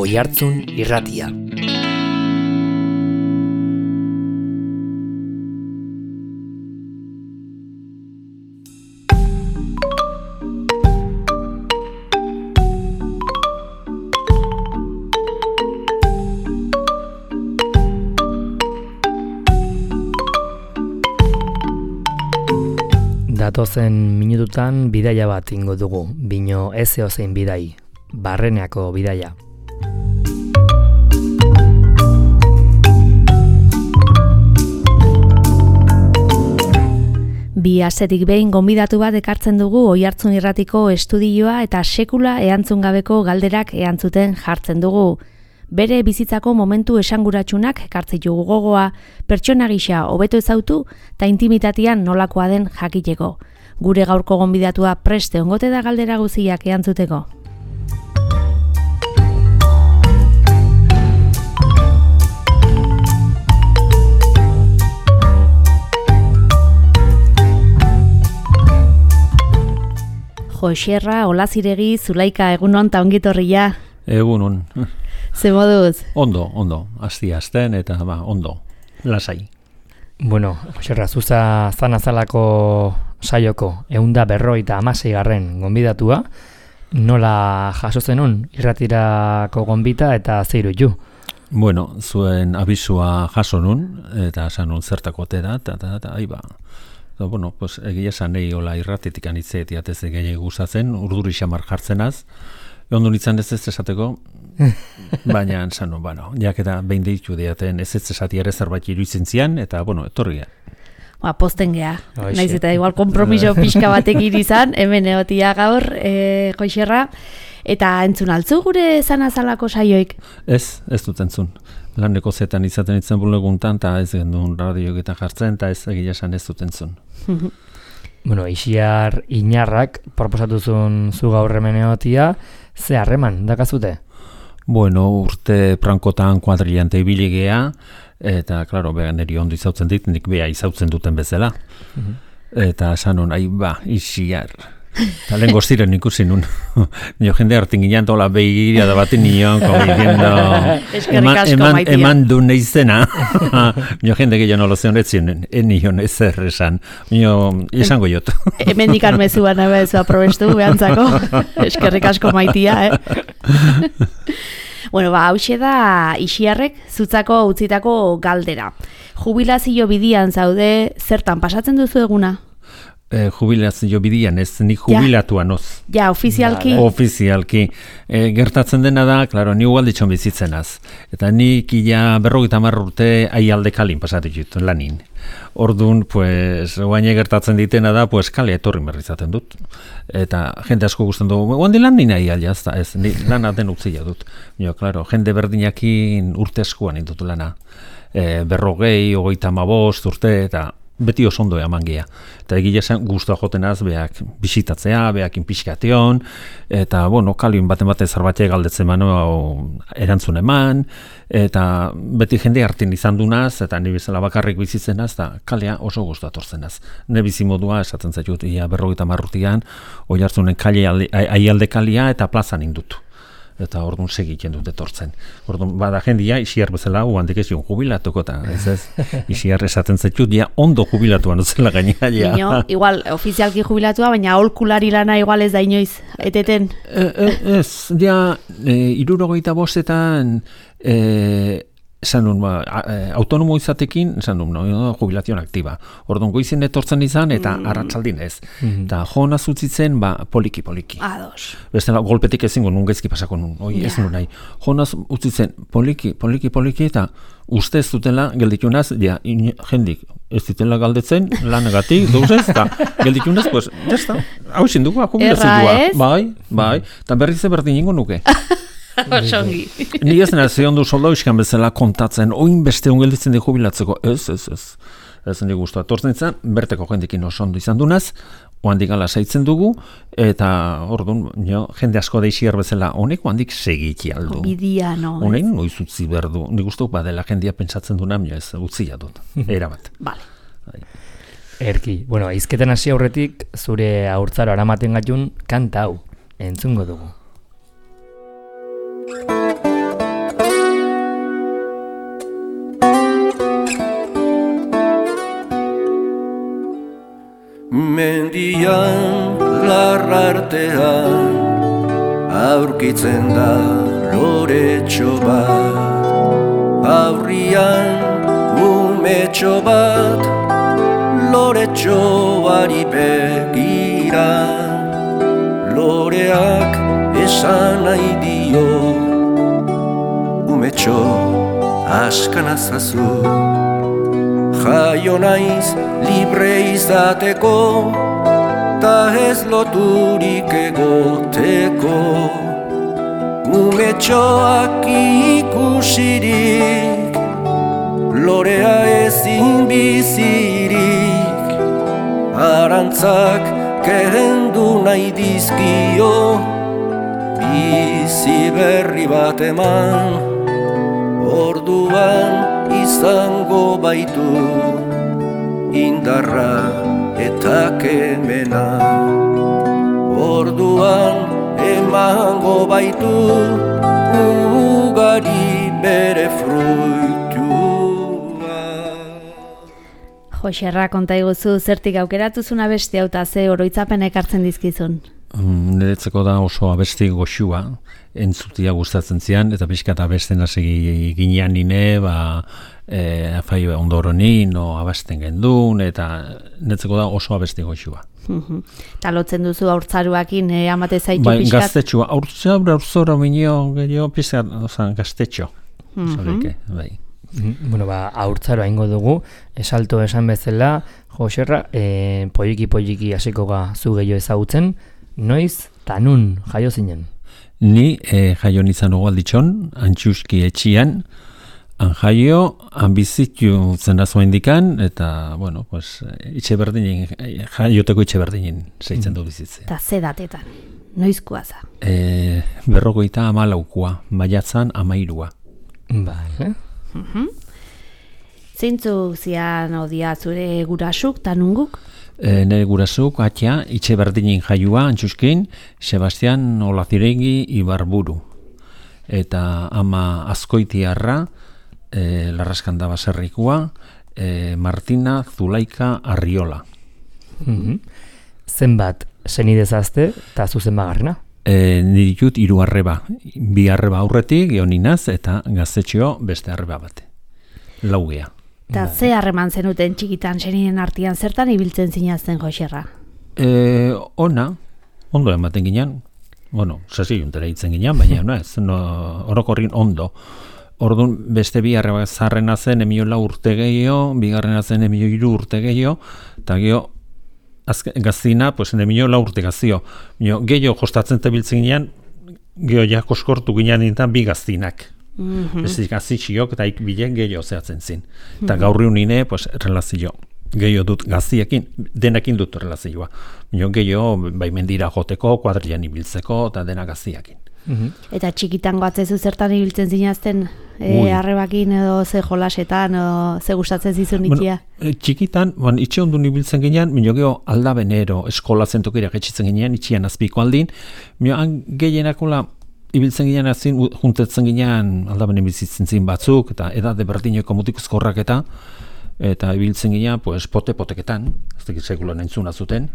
Oihartzun Irratia. Datozen minututan bidaia bat ingo dugu, bino ez eozein bidai, Barreneako bidaia. Bi astetik behin gonbidatu bat ekartzen dugu Oihartzun Irratiko estudioa eta sekula erantzun gabeko galderak erantzuten jartzen dugu. Bere bizitzako momentu esanguratsunak ekartzitugu gogoa, pertsona gisa hobeto ezautu eta intimitatean nolakoa den jakiteko. Gure gaurko gonbidatua preste ongote da galdera guztiak erantzuteko. Joxerra, Olaziregi, Zulaika, egunon eta ongitorria. Egunon. Ze moduz? Ondo, azten eta ondo, lasai. Bueno, Joxerra, zuza zanazalako saioko 156. Gonbidatua, nola jaso zenun irratirako gonbita eta zeiru ju? Bueno, zuen abisua jaso nun, eta sanun zertako da, eta aiba. Bueno, pues egia esan nahi hola irratitik anitzeet jatez egin gustatzen, urduri xamar jartzenaz, ondo nintzen ez esateko, baina zanu, jaketa behin deitu diaten ez esati ere zerbait iruditzen zian, eta, etorria. Posten geha, naiz eta igual kompromiso pixka batekin izan, hemen egotia gaur, Joxerra, eta entzun altzu gure zanazalako saioik? Ez dut entzun. Laneko zetan izaten itzen buleguntan, eta ez gendun radioak eta jartzen, eta ez egia esan ez dut entzun. Bueno, Ixiar Inarrak proposatuzun zu gaur hemen egotia, ze harreman dakazute? Bueno, urte prankotan kuadrilante ibiligea, eta, klaro, niri ondo izautzen dit, nik beha izautzen duten bezala. Eta sanon, Ixiar. Eta lehen goztiren ikusi nun. Nio jende hartin ginean tola begiria da batin nion, eman du neizena. Nio jende gehiago nolo zion etzien, nion ezer esan. Nio, izango jot. Hemen dikan mezuan ebezu aprobestu behantzako. Eskerrik asko maitia, Bueno, hauxe da Ixiarrek zutzako utzitako galdera. Jubilazio bidian zaude, zertan pasatzen duzu eguna? Jubilazio bidian, ez ni jubilatua noz. Ja, ofizialki? Ofizialki. Gertatzen dena da, klaro, ni ugalditxon bizitzenaz. Eta nik ia 50 urte aialde kalin pasatik lanin. Orduan, guaine gertatzen ditena da, kale etorri berrizaten dut. Eta jende asko gusten dugu, guandi lan nina aialia, ez, lana den utzila dut. Klaro, jende berdinakin urte eskuan indut lana. 40, 35 urte, eta beti oso ondo eman geha. Eta egia esan guztua jotenaz beak bisitatzea, beak inpixkation, eta, kalin baten zerbatia galdetzen erantzun eman, eta beti jende hartin izan dunaz, eta ni bezala bakarrik bizitzenaz, eta kalea oso guztua torzenaz. Ne bizimodua esaten zaitut, 50 urtean, Oihartzunen aialde kalia eta plazan indutu. Eta orduan segiten dut etortzen. Orduan, bada jendia, Ixiar bezala, handik ez joan jubilatuko, eta ez, Ixiar esaten zaitut, jubilatuan utzela gainera. Igual, ofizialki jubilatua, baina aholkulari lana igual ez da inoiz, eteten? Ez, 65etan, autonomo izatekin, jubilazion aktiba. Orduan, goizien etortzen izan, eta arratsaldin ez. Eta joan azutzitzen, poliki. Ados. Bestela, golpetik ezingo nun gaizki pasako nun, ez nun nahi. Joan azutzitzen, poliki, eta uste ez dutela gelditunaz, jendik, ez ditela galdetzen, lanagatik, dauzez, eta gelditunaz, jazta, hau zindugu, jubilazioa. Bai, eta berriz berdin ingo nuke. Osongi. Ni ez nena ze ondo soldau iskan bezala kontatzen, oin beste ongelditzen di jubilatzeko, ez. Ez nik guztua tortzen izan, berteko jendekin oso ondo izan dunaz, oandik ala saitzen dugu, eta orduan, jende asko da Ixiar bezala, honek oandik segiti aldu. Bidia, no. Honek noiz utzi berdu, nik guztua badela jendea pentsatzen duna, ez utzia dut, erabat. Vale. Erki, izketen hasi aurretik, zure haurtzaro aramaten gatun kanta hau, entzungo dugu. Aurrian larrartean aurkitzen da loretxo bat, aurrian umetxo bat loretxoari begira, loreak esan nahi dio, umetxo askanazazu, jaio naiz libre izateko, ta ez loturik egoteko, umetxoak ikusirik, lorea ezin bizirik, arantzak kendu nahi dizkio, bizi berri bat eman, orduan izango baitu, indarra eta kemena, orduan emango baitu, ugari bere fruitua. Joxerra, konta iguzu, zertik aukeratuzun abesti hau eta ze oroitzapen ekartzen dizkizun? Niretzeko da oso abesti goxua, entzutia gustatzen zian, eta pixka eta abesten hasi ginean nine, afai ondoronin, abesten gendun, eta niretzeko da oso abesti goxua. Eta lotzen duzu haurtzaruakin amate zaitu bai, pixkat? Gaztetxua, haurtzora minio, pixka, gaztetxo. Bai. Bueno, haurtzaro aingo dugu, esalto esan bezala, Joxerra, poliki hasiko ga zu gehiago ezagutzen, noiz, tanun jaio zinen? Ni jaio nizan alditxon, Antxuski etxian, han jaio, han bizitu zena zuen dikan, eta, bueno, pues, itxe berdinen, jaioteko itxe berdinen zeitzen du bizitzea. Eta ze datetan, noizkoa za? 54 maiatzan 13. Vale. Zeintzu zian odia zure gurasuk, tanunguk? Nire gurasuk, atxa, itxe berdinin jaiua, Antxuskin, Sebastian Olaziregi Ibarburu. Eta ama Azkoitiarra, Larraskanda baserrikua, Martina Zulaika Arriola. Zenbat senidezazte eta zuzen bagarrena? Nirikut 3 arreba. 2 arreba aurretik, gehoninaz, eta gaztetxeo beste arreba bate. Laugea. Eta ze harreman zenuten txikitan seniden artean zertan ibiltzen zinazten Joxerra? Ondo ematen ginen. Bueno, sasi juntera hitzen ginen, baina orokorrin ondo. Orduan beste 2 arreba zarrena zen 4 urte gehiago, bigarrena zen 3 urte gehiago, eta gehiago gaztina, pues 4 urte gazio. Gehiago jostatzen tebiltzen ginen, gehiago ja koskortu ginen nintan 2 gaztinak. Beste gazitxiok eta ikbilen gehiago zehatzen zin. Eta gaurri unine, pues, relazio. Gehiago dut gaziekin, denekin dut relazioa. Gehiago baimendira joteko, kuadrilan ibiltzeko, eta dena gaziakin. Eta txikitan goatzezu zertan ibiltzen zinazten, arrebakin edo ze jolasetan, ze gustatzen zizun itia? Txikitan, itxe ondun ibiltzen ginean, geho aldabenero eskola zentokirak etxitzen ginean, itxian azpiko aldin, gehienakola ibiltzen ginean azin, juntetzen ginean aldabenen bizitzen zin batzuk, eta edade berdineko mutikuzkorrak eta ibiltzen ginean, pues, pote-poteketan, ez dakit sekulan entzuna zuten,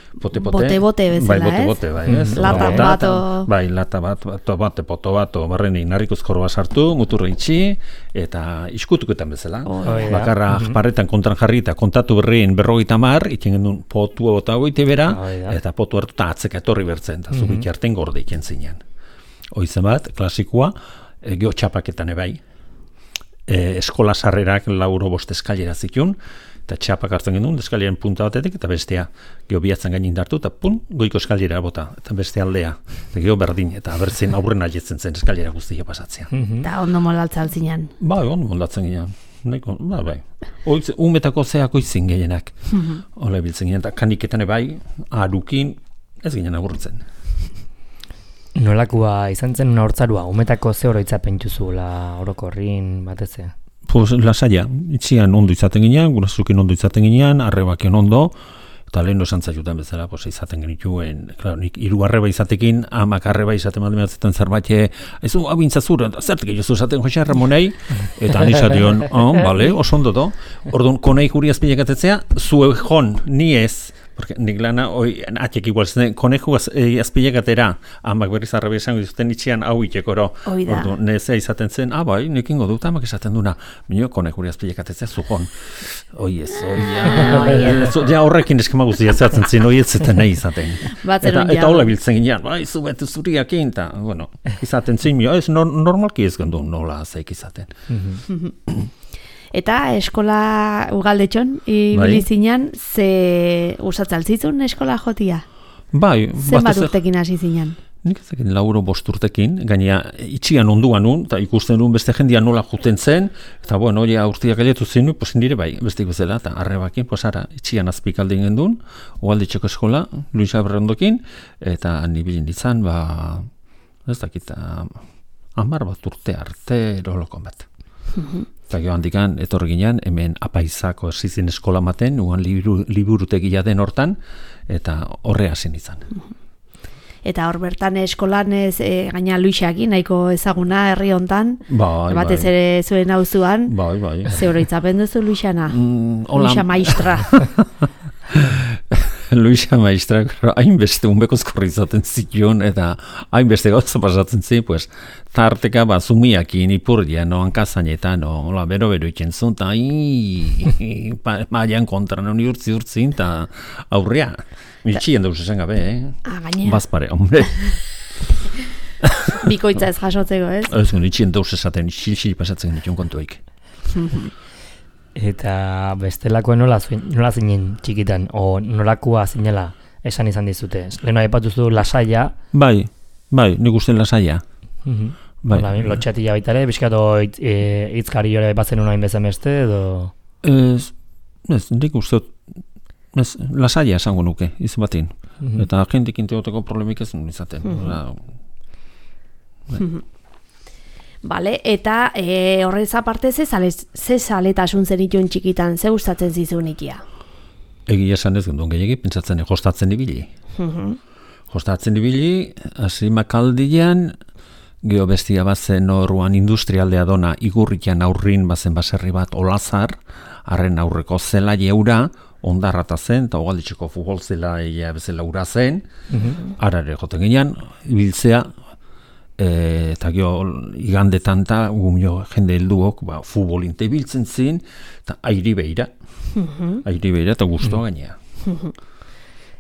Bote-bote bezala, bote, bai, ez? Lata bat, bai, lata bat, poto bat, barreni narrikuzkorroa sartu, muturra itxi, eta iskutuketan bezala. Bakarra paretan kontran jarri eta kontatu berrien 50, itxen gendun potua bota goite bera, eta potu hartu eta atzeka etorri bertzen, eta zubik jarten gorde iken zinean. Hoizen bat, klasikoa, geho txapaketan ebai, eskola sarrerak 4-5 eskailera zitun, eta txapak hartzen genuen, eskaliaren punta batetik, eta bestea, geho bihatzen gainin dartu, eta goiko eskalera bota, eta beste aldea, eta geho berdin, eta bertzen aurren aietzen zen eskalera guztia pasatzea. Eta ondo molaltza altzinean? Bai, ondo molaltzen ginean. Bai. Umetako zeako izin gehienak. Ola biltzen ginen, eta kaniketan ebai, arukin, ez ginen agurtzen. Nolakoa izan zen una hortzarua, umetako ze oroitzapen juzuela orokorrin batezea? Pues lasaia, itxian ondo izaten ginean, gurazukin ondo izaten ginean, arrebaken ondo, eta lehen esan zaiutan bezala, pues, izaten genituen, claro, nik 3 arreba izatekin, 10 arreba izaten badematzen zerbait, ezu abintzazur, zertik egizu izaten Jose Ramonei, eta anizateon, bale, oso ondo do, orduan, konei juri azpilekatetzea, zue jon, ni ez, Porque nik lana, atek igual, koneju azpilegatera, amak berriz arrabe esango dizuten itxian hau itekoro. Ordu, nezea izaten zen, bai, nik ingo dut, amak esaten duna, minio konejuri azpilegatetzea zuhon. Ja horrekin eskema guztia zehatzen zin, ez zeten nahi izaten. Eta hola biltzen ginean, bai, zubetu zuriakin, eta, bueno, izaten zin, ez normalki ez gendu nola zeik izaten. Eta eskola ugaldetxon, ibili zinan, ze gustatzen altzizun eskola jotia? Bai. Zenbat urtekin hasi zinan? Nik ezekin 4 urtekin, gainea itxian onduan nun, eta ikusten nun beste jendia nola juten zen, eta bueno, ja urtiak galetu zen, pues nire bai, bestik bezala, eta arrebakin, pues ara, itxian azpikalde ingen duen, ugaldetxeko eskola, Luis Aberrondokin, eta nibilin ditzan, ez dakit, 10 urte arte erolokon bat. Eta gero handikan, etorri ginean, hemen apaizako erzizin eskola maten, uan liburutegia den hortan, eta horre hasi izan. Eta hor bertan eskolan gaina Luisakin, nahiko ezaguna herri hontan, batez ere zuen auzuan. Bai. Ze oroitzapen duzu Luisana? Luisa maistra. Luisa maistra, hainbeste unbekozkorri izaten zituen, eta hainbeste gauza pasatzen zi, pues, tarteka zumiakin ipurdian, hankazainetan, bero itzen zuen, eta maian kontra, urtzi, eta aurrea. Mitxien dauz esan gabe, Bazpare, hombre. Bikoitza ez jasotzeko, ez? Ez, mitxien dauz esaten, xil pasatzen dituen kontuik. Eta bestelakoen nola zinen txikitan, o nolakoa zinela esan izan dizute. Leheno aipatuzu lasaia. Bai, nik uste lasaia. Lotxatila baitare, bizkato hitzkari jore aipatzen unain bezen beste, edo? Ez, nik uste, lasaia esango nuke, izan batin. Eta jentik inteoteko problemik ez nun izaten. Vale, eta horrez aparte ze zaletasun zenituen txikitan, ze gustatzen zizun ikia? Egia esan ez genduen gehiagi, pentsatzen jostatzen ibili. Jostatzen ibili, hasi makaldian, geho bestia bazen orruan industrialdea dona, igurrikian aurrin bazen baserri bat olazar, harren aurreko zela jeura, ondarrata zen, eta hogalditxeko futbol zela bezala ura zen, arare joten ginean, ibiltzea, eta gero igandetan eta jende helduok futbolinte biltzen zin, eta airi behira eta guztua gainea.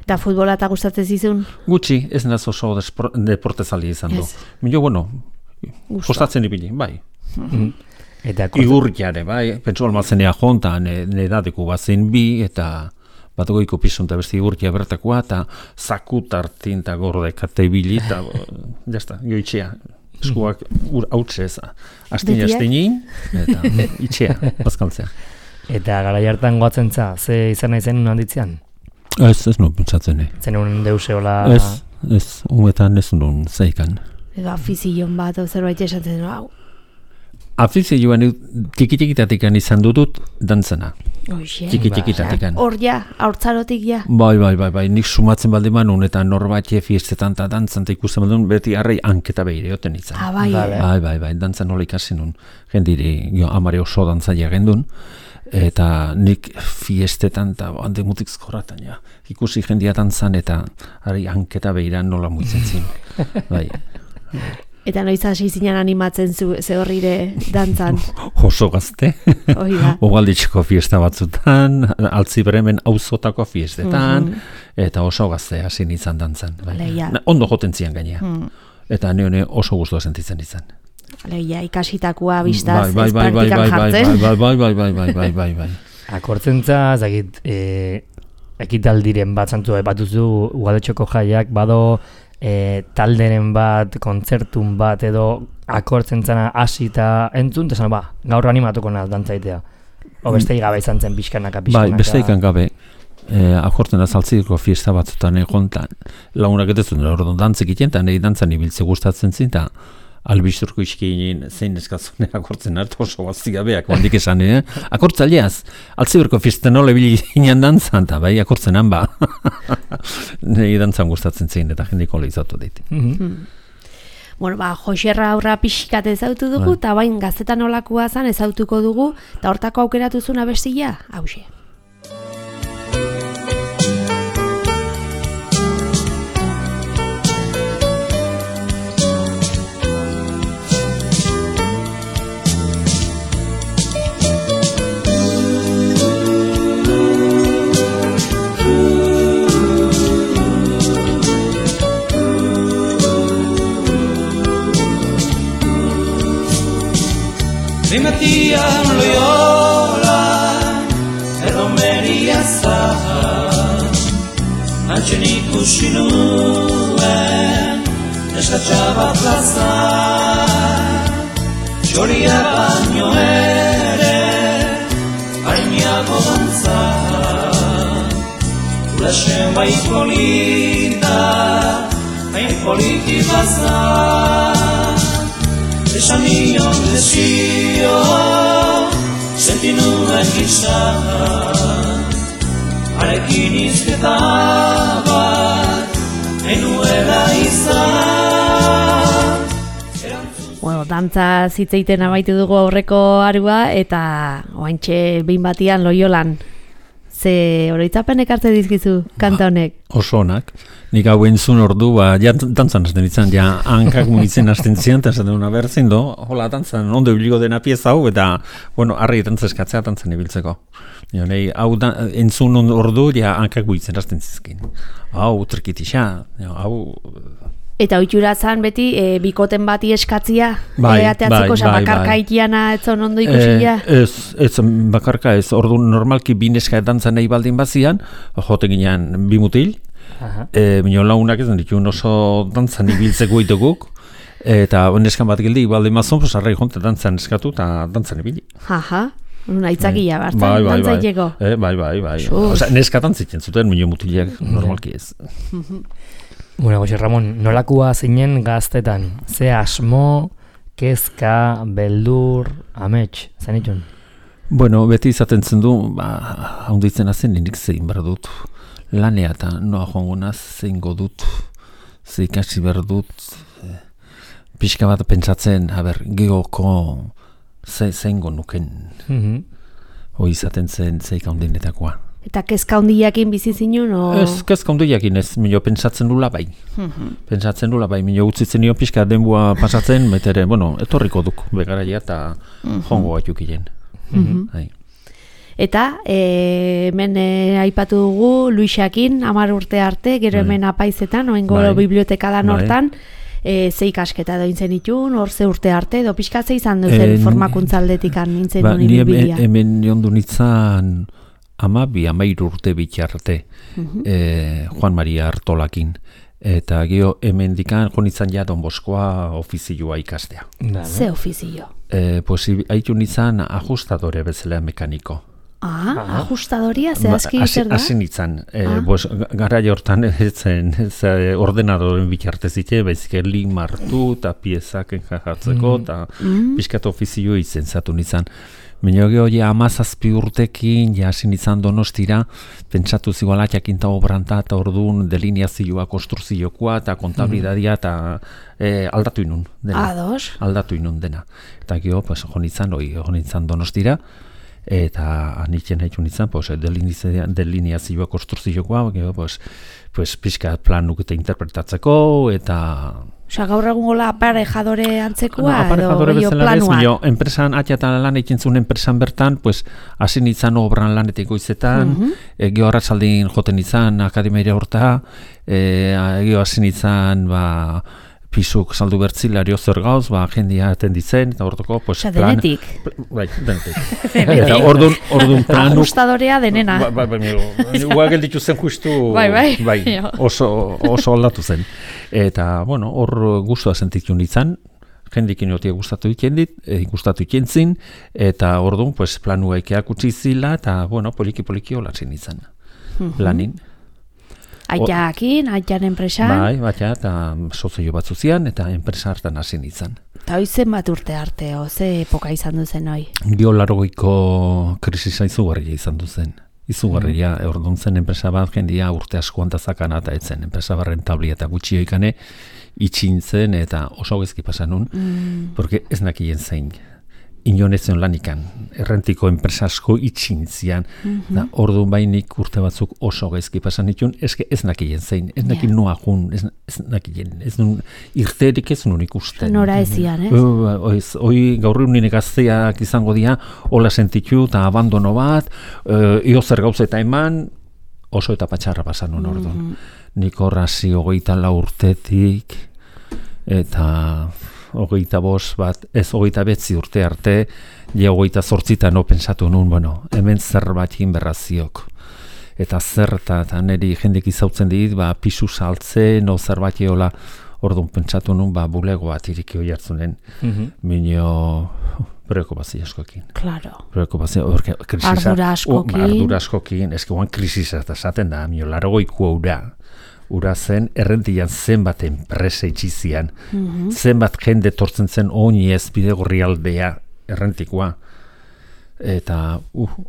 Eta futbola eta gustatzen zizun? Gutxi, ez naz oso deportezali izan du. Milo, gustatzen ibili, bai. Igurriare, bai, pentsu almazenea jontan, nedadeko bazen bi, eta batogoiko pizun eta beste igurtia bertakoa, eta zakut hartin eta gordekate ibili, eta jazta, joitxea, eskuak hautze ez, astini, eta itxea, bazkaltzea. Eta gara jartan goatzen za, ze izan nahi zen handitzean? Ez no, pentsatzen, Zen un deuse hola? Ez, umetan ez nun zeikan. Edo afizion bat, zerbait esatzen, hau. Afizioan txiki-txikitatikan izan dutut dantzana. Txiki-txikitatikan. Hor ja, haurtzarotik ja. Bai, nik sumatzen baldin manun eta norbait fiestetan eta dantzan eta ikusten baldin beti arrei hanketa behire oten izan. Bai, dantzan nola ikasi nun. Jendiri, amare oso dantzaia gendun. Eta nik fiestetan eta hande mutik zkorratan, ja. Ikusi jendia dantzan eta arrei hanketa behiran nola muitzen zin. Bai. Eta noiz hasi zinen animatzen ze horrire dantzan? Oso gazte. Ogalditxeko fiesta batzutan, Altzibremen auzotako fiestetan, eta oso gazte hasi nintzen dantzan. Ondo joten zian gainea. Eta neone oso guztua sentitzen izan. Leia, ikasitakoa biztaz, ez praktikan jartzen. Bai. Akortzentza, zagit, ekitaldiren bat zantzua epatuzu, Ugaldetxoko jaiak, bado talderen bat, kontzertun bat, edo akortzen zana hasi eta entzun, eta zan, gaur animatuko naz dantzaitea. O besteik gabe izan zen pixkanaka. Bai, besteik gabe. Akortzen azaltziko fiesta batzutan egontan. Lagunak etezun, orduan dantzik iten, eta nahi dantzan ibiltze gustatzen zin, eta albisturko iskinin zein eskazune akortzen hartu oso bazti gabeak, bandik esan, akortzaileaz, Altziberko fiesta nola ibili ginen dantzan, eta bai, akortzenan ba. Nahi dantzan gustatzen zin, eta jendiko lehizatu dit. Bueno, Joxerra aurra pixkat ezautu dugu, eta bain gaztetan olakoa zan ezautuko dugu, eta hortako aukeratuzun abestia, hauxe. Rimetian Loyola edo Meria Zahar Antxen ikusi nuen eskatxaba plaza Txoria baino ere hainiago dantza Ulasen bai polita hain politi baza Esan nion desio senti nuen gisa Harekin izketa bat enuela izan Bueno, dantza zitzeiten amaitu dugu aurreko arua eta oaintxe behin batian Loiolan. Ze oroitzapenek hartze dizkizu kanta honek? Oso onak. Nik hau entzun ordu, ja dantzan hasten ditzen, ja hankak mugitzen hasten zian, eta esaten duna berzin do, hola dantzan ondo ibiliko dena pieza hau, eta, bueno, arri dantzeskatzea dantzan ibiltzeko. Nei, hau entzun ordu, ja hankak mugitzen hasten zizkin. Hau, trikitixa, hau... Eta ohitura zan beti bikoten bati eskatzia ateatzeko, bakarka itiana etzon ondo ikusia? Ez bakarka ez, ordu normalki bineska dantzan nahi baldin bazian, joten ginean bi mutil, bineo launak ez dituen oso dantzan ibiltzeko iteguk, eta neskan bat gildi baldin bazon, arrai jonte dantzan eskatu eta dantzan ibili. Aitzakia bartzen, dantzaileko. Bai. Osa, neska dantzitzen zuten, bineo mutilak normalki ez. Bueno, Jose Ramon, nolakua zinen gaztetan? Ze asmo, kezka, beldur, amets, zanitun? Bueno, beti izaten zen du, haunditzen hazen nik zein behar dut. Lanea eta noa joangonaz zein godut, ze ikasi behar dut. Pixka bat pentsatzen, geoko zein gonuken. Hoi izaten zen zeik haundinetakoa. Eta kezka handiakin bizi zinun? Ez, kezka handiakin ez, mino pentsatzen dula bai. Pentsatzen dula bai, mino utzitzen nio pixka denbua pasatzen, betere, bueno, etorriko duk begaraia eta jongo batukilen. Eta, hemen aipatu dugu, Luisakin, 10 urte arte, gero hemen apaizetan, oengo bibliotekadan hortan, ze ikasketa doin zen itun, hor ze urte arte, edo pixka ze izan duzen formakuntzaldetikan nintzen duen ibilia. Hemen jondu nintzen 12-13 urte bitxarte, Juan Maria Artolakin, eta geho hemen dikan jonitzan ja Don Boskoa ofizioa ikastea. Ze ofizio? Pues haitu nintzen ajustadore bezala mekaniko. Ajustadoria, zehazki zer da? Hasi nintzen, gara jortan ordenadoren bitxarte zite, baizik link martu eta piezak enjajatzeko, eta pixkat ofizio izen zatu nintzen. Baina geho, 17 urtekin, hasi nintzen Donostira, pentsatu ziguala jakinta obranta eta orduan delineazioa, konstruziokoa eta kontabilidadia eta aldatu inun dena. Aldatu inun dena. Eta geho, jo nintzen Donostira, eta anitzen haitu nintzen, delineazioa, konstruziokoa, geho, pixka planuk eta interpretatzeko, eta... Osa, gaur egun gola aparejadore antzekoa aparejadore edo planua? Enpresan, atxatan lan eikintzun enpresan bertan, hasi nintzen obran lanetiko izetan, geho arratsaldin joten nintzen akademiaria horta, geho hasi nintzen pisuk saldu bertzilario zer gauz, jendia atenditzen, eta hortoko, Osa, denetik? Bai, denetik. Eta orduan planuk... Ajustadorea denena. Ua gelditu zen justu... Bai, oso aldatu zen. Eta, bueno, hor guztua sentitu nintzen, jendikin jotia gustatu ikentzin, eta orduan, planua ikeak utzi zila, eta, bueno, poliki olatzen nintzen. Lanin. Aitakin, aitan enpresan? Bai, eta sozio batzu zian, eta enpresa hartan hasi nintzen. Eta hoizen bat urte arte, ze epoka izan duzen hoi? Gio 80ko krisisa izugarria izan duzen. Izugarria, orduan zen enpresa bat jendia urte asko antazakana eta etzen. Enpresa bat rentablia eta gutxi oikane itxintzen eta oso gezki pasanun, porque ez nakien zein. Inonezion lanikan, errentiko enpresa asko itxintzian, da orduan bainik urte batzuk oso gaizki pasan ditun, ez nakien zein, ez nakien noa jun, ez nakien, ez nun irterik ez nun ikusten. Nora ezian, Hoi gaur egun gazteak izango dira, hola sentitu eta abandono bat, io zer gauza eta eman, oso eta patxarra pasan nun orduan. Nik horrazi 24 urtetik, eta... 25 bat, ez 29 urte arte, ja 28 no pentsatu nun, bueno, hemen zerbait egin berraziok. Eta zer eta niri jendek izautzen dit, pisu saltze, no zerbait eola, orduan pentsatu nun, bulego bat iriki hoi hartzunen, minio preokupazio askokin. Claro. Preokupazio, ardura askokin. Ardura askokin, eski guan krisisa eta esaten da, minio, 80 ura zen, errentian zenbat enpresa itxizian, zenbat jende tortzen zen oini ez bide gorri aldea errentikoa. Eta,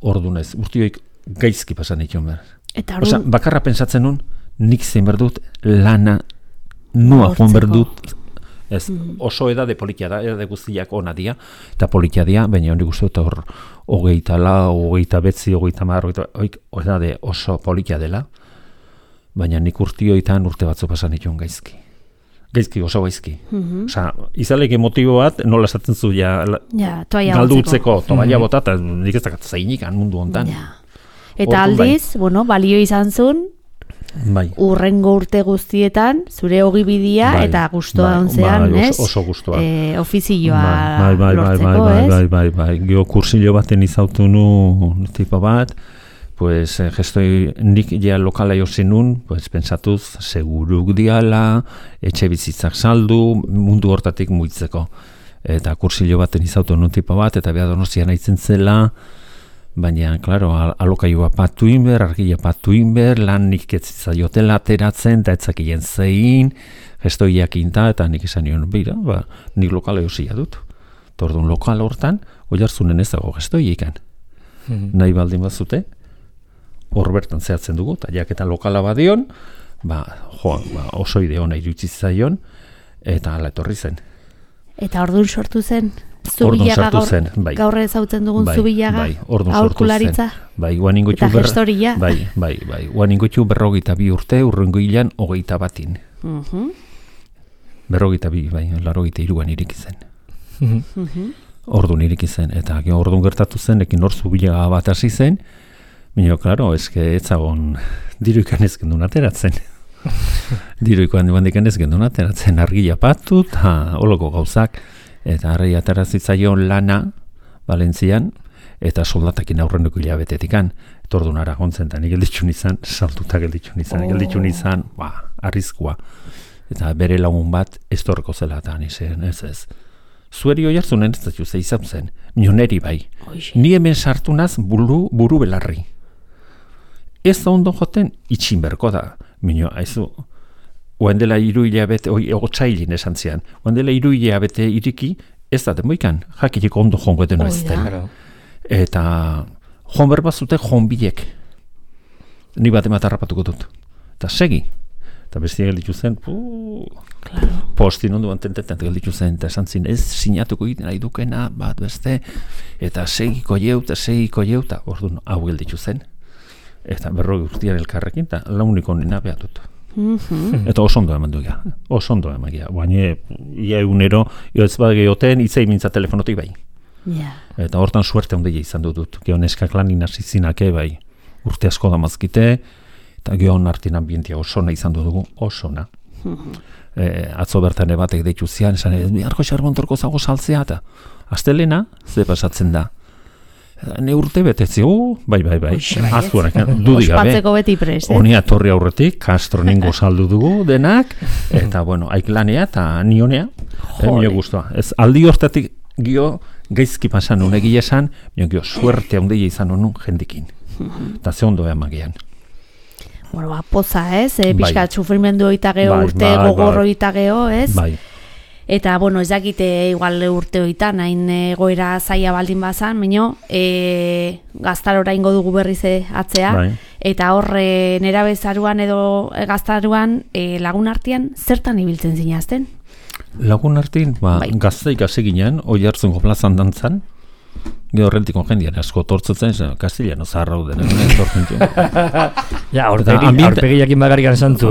ordu nez, urtioik gaizki pasan ditu behar. Eta Osa, bakarra pensatzen nun, nik zein berdut lana nua joan berdut. Ez, oso edade politia da, edade guztiak ona dia, eta politia dia, baina hori guzti eta hor 29, 30, edade oso politia dela, baina nik urtioitan urte batzu pasan dituen gaizki. Gaizki, oso gaizki. Osa, izaleke motibo bat, nola esaten zu, galdu utzeko, tobaia bota, eta nik ez dakat zainik mundu hontan. Eta aldiz, balio izan zuen, urrengo urte guztietan, zure ogibidia eta gustoa ontzean, ez? Oso gustoa. Ofizioa lortzeko, ez? Bai. Gio kursillo baten izautu nu tipo bat, pues gestoi nik ja lokala josin nun, pues pensatuz seguruk diala, etxe bizitzak saldu, mundu hortatik muitzeko. Eta kursillo baten izautu nun tipo bat, eta beha Donostian aitzen zela, baina, klaro, alokaioa patu inber, argia patu inber, lan nik etzizaiotela ateratzen, eta etzakien zein, gestoiak inta, eta nik izan nion, bera, nik lokala josia dut. Tordun lokal hortan, oiartzunen ez dago gestoiekan. Nahi baldin bazute, hor bertan zehatzen dugu, eta jaketa lokala badion, oso ide hona irutzizaion, eta ala etorri zen. Eta orduan sortu zen? Zubilaga gaur ezautzen dugun Zubilaga, aholkularitza, eta gestoria. Guan ingotxu 42 urte, urrengo hilan 21. 42, 83an iriki zen. Orduan iriki zen, eta orduan gertatu zen, ekin hor Zubilaga bat hasi zen, baina, klaro, eske etzagon diruikan ez gendun ateratzen. Diruikoan dibandikan ez gendun ateratzen, argia patu, eta holoko gauzak, eta harri aterazitzaion lana Valentzian, eta soldatakin aurreneko hilabetetikan, etordun Aragontzen, eta nik gelditxun izan, saltuta gelditxun izan, arrizkoa. Eta bere lagun bat ez torreko zela, eta nizien, ez. Zueri hoi hartzunen ez dut izan zen, nioneri bai. Ni hemen sartunaz buru belarri. Ez da ondo joten itxin berko da. Mino, haizu, oen dela 3 hilabete, otsailin esan zian, oen dela 3 hilabete iriki, ez da demoikan, jakirik ondo jongo edeno ez den. Eta jon berbazute jonbilek. Ni bat ematarrapatuko dut. Eta segi. Eta bestia gelditu zen, postin onduan tentetan gelditu zen, eta esan zin, ez sinatuko egiten nahi dukena, bat beste, eta segiko jeu, eta orduan hau gelditu zen. Eta 40 urtean elkarrekin, eta launiko nina behatut. Eta oso ondo eman dugia, baina ia egunero, ez bat gehioten, itzei mintza telefonotik bai. Eta hortan suerte ondile izan dut, geon eskak lanin hasi zinake bai, urte asko damazkite, eta geon artin ambientia osona izan dugu, osona. Atzo bertan batek deitu zian, esan, biharko xarbontorko zago saltzea, eta astelena, ze pasatzen da. Ne urte betetzi, bai, aztuanak, dudik gabe. Ospatzeko beti prest, Honi atorri aurretik, Castro ningo saldu dugu denak, eta, aiklanea eta nionea, mio guztua. Ez aldi hortatik gio gaizki pasan unegi esan, gio suerte handia izan honun jendikin. Eta ze ondo emagian. Poza, ez? Piskat sufrimendu oita geho, urte gogorro oita geho, ez? Bai. Eta, ez dakite igual urte hoitan, hain goera zaila baldin bazan, baina gaztarora ingo dugu berriz atzea, eta hor nera bezaruan edo gaztaruan lagun artean zertan ibiltzen zinazten? Lagun artean, gazteik hasi ginen, oi hartzungo plazan dantzan, gero horrentiko jendian asko tortzutzen, Kastiliano zaharra den, tortzen zuen. Aurpegiakin bakarrikan santu,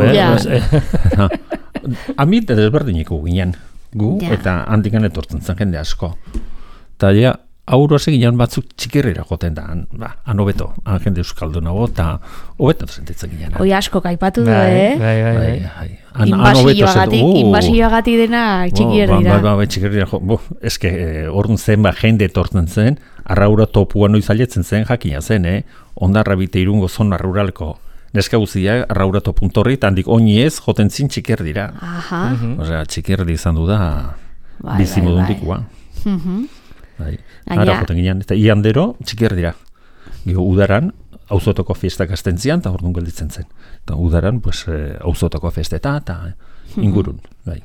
Ambiente desberdiniko ginen. Gu, eta handikan etortzen zen jende asko. Eta aurro seginan batzuk txikirrira joten da, han hobeto, han jende euskaldunago, eta hobeto sentitzen ginen. Oi asko kaipatu du, Bai. Inbasioagatik dena txikirrira. Bai, txikirrira, eske, orduan zen, jende etortzen zen, arraura topua noiz aletzen zen, jakina zen, ondarra bite irungo zona ruralko neska guztia, arraura topuntorri, eta handik oini ez, joten zin txikirrira. Osea, txikirri izan du da, bizimodundikua. Bai. Ara joten ginen, eta iandero txikir dira. Udaran, auzotoko fiestak astentzian, eta orduan gelditzen zen. Eta udaran, auzotoko fiesteta, eta ingurun. Bai.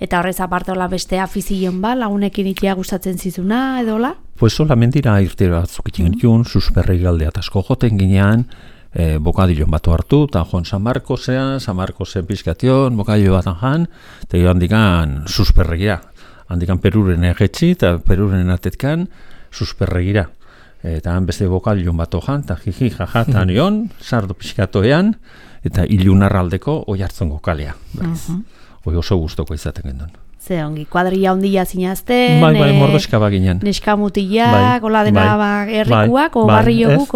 Eta horrez apartola beste afizion ba, lagunekin itea gustatzen zizuna, edola? Pues solamente ira irtera batzuk ikin genitun, susperrei galdea asko joten ginean, bokadilon batu hartu, eta joan San Marcosen pizkation, bokadilo batan jan, eta joan dikan susperregia. Handikan Peruren egetxi eta Peruren atetkan susperregira. Eta han beste bokadilon bat ojan, eta jiji jajatan ion, sardo pixkatoean, eta ilunarraldeko oi hartzongo kalea. Hoi oso gustoko izaten gendun. Ze ongi, kuadrilla ondila zinazten, Bai, mordoska baginean. Neska mutilak, hola dena herrikuak, o barriokuk?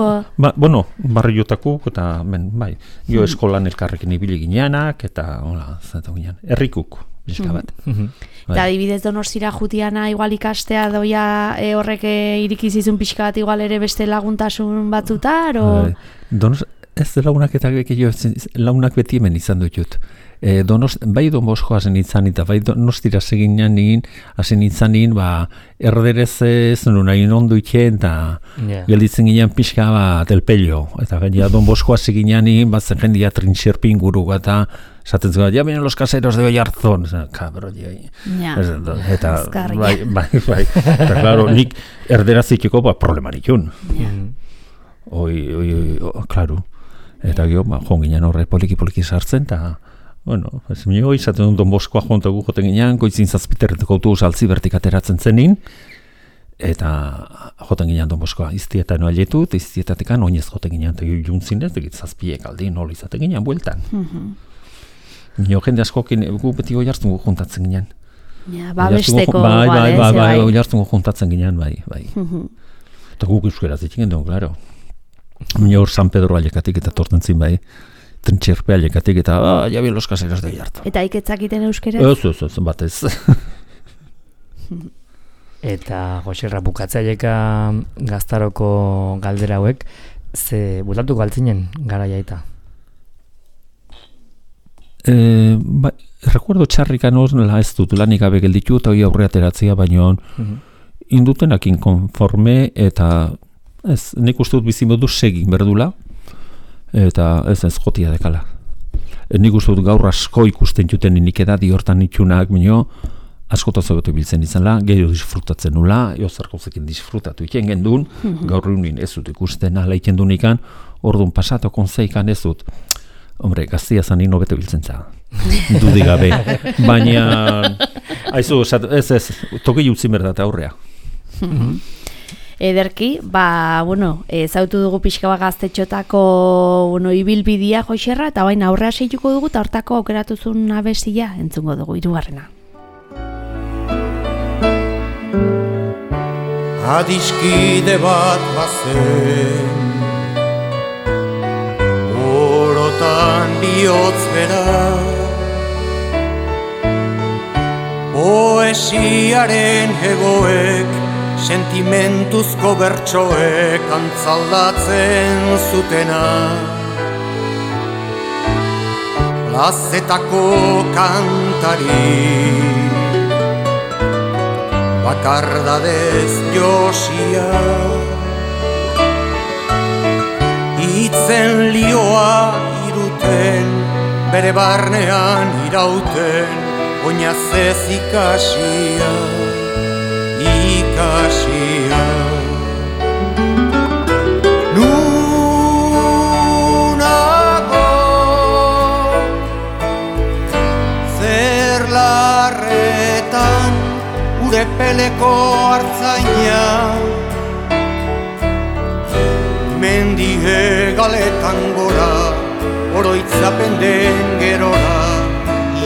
Barriotakuk, eta bai, jo eskolan elkarrekin ibili gineanak, eta hola, zatu ginean, herrikuk, bizka bat. Eta adibidez Donostira jutiana igual ikastea doia horrek irikizizun pixka bat igual ere beste laguntasun batzutar, o? Ez lagunak eta lagunak beti hemen izan dut. Bai Don Bosko hasen itzan, eta bai Donostira seginan nien, hasen itzan nien, erderez ez nuna ondo itxen, eta gelditzen ginean pixka bat elpello. Eta gaina Don Bosko seginan nien, batzen jendia trintxerpi inguru, eta esaten zuen, ya vienen los caseros de Oiarzón, kabro, eta bai, eta claro, nik erderaziteko problemaritun. Claro, eta gio, joan ginen horre poliki sartzen, eta bueno, ez minio, izaten dut Don Boskoa jontagu joten ginean, goitzin zazpiterreteko autobus Altzibertik ateratzen zenin, eta joten ginean Don Boskoa iztietan noaletu, eta iztietatekan oinez joten ginean, eta juntzin ez, egit zazpiek aldin, hori izaten ginean bueltan. Minio, jende askokin, gu beti oi hartzungo juntatzen ginean. Babesteko, bai, oi hartzungo juntatzen ginean, bai. Eta guk euskeraz ditxingen duen, klaro. Minio hor San Pedro alekatik eta torten zin, bai. Trintxerpe alekatik eta, ya bien los caseros de Oiartzun. Eta iketzakiten euskeraz? Ez, batez. Eta Joserra bukatzaieka gaztaroko galdera hauek, ze bultatu galtzinen gara jaita? Recuerdo txarrikan horrela ez dut lanik gabe gelditu eta hori aurre ateratzea, baino indutenak inkonforme eta ez, nik uste dut bizimodu segin berdula eta ez jotia dekala. Nik uste dut gaur asko ikusten juten nik edadi hortan itxunak, baino asko tozagotu biltzen izanla, gehiago disfrutatzen nula, eozarkozekin disfrutatu iken gendun, gaur runin ez dut ikusten ala iken dunikan, orduan pasatu konzeikan ez dut. Hombre, gaztia zanin hobeto biltzen za. Dudik gabe. Baina, haizu, ez, toki jutzi merdat aurrea. Ederki, zautu dugu pixka bat gaztetxotako ibilbidia Joserra, eta baina aurrea seituko dugu, eta hortako aukeratuzun abestia entzungo dugu, 3. Adiskide bat bazen orotan bihotz bera poesiaren hegoek sentimentuzko bertsoek antzaldatzen zutena plazetako kantari bakardadez josia itzen lioa iruten bere barnean irauten oinazez ikasia nunago zer larretan urepeleko hartzaina mendie galetan gora oroitzapen den gerora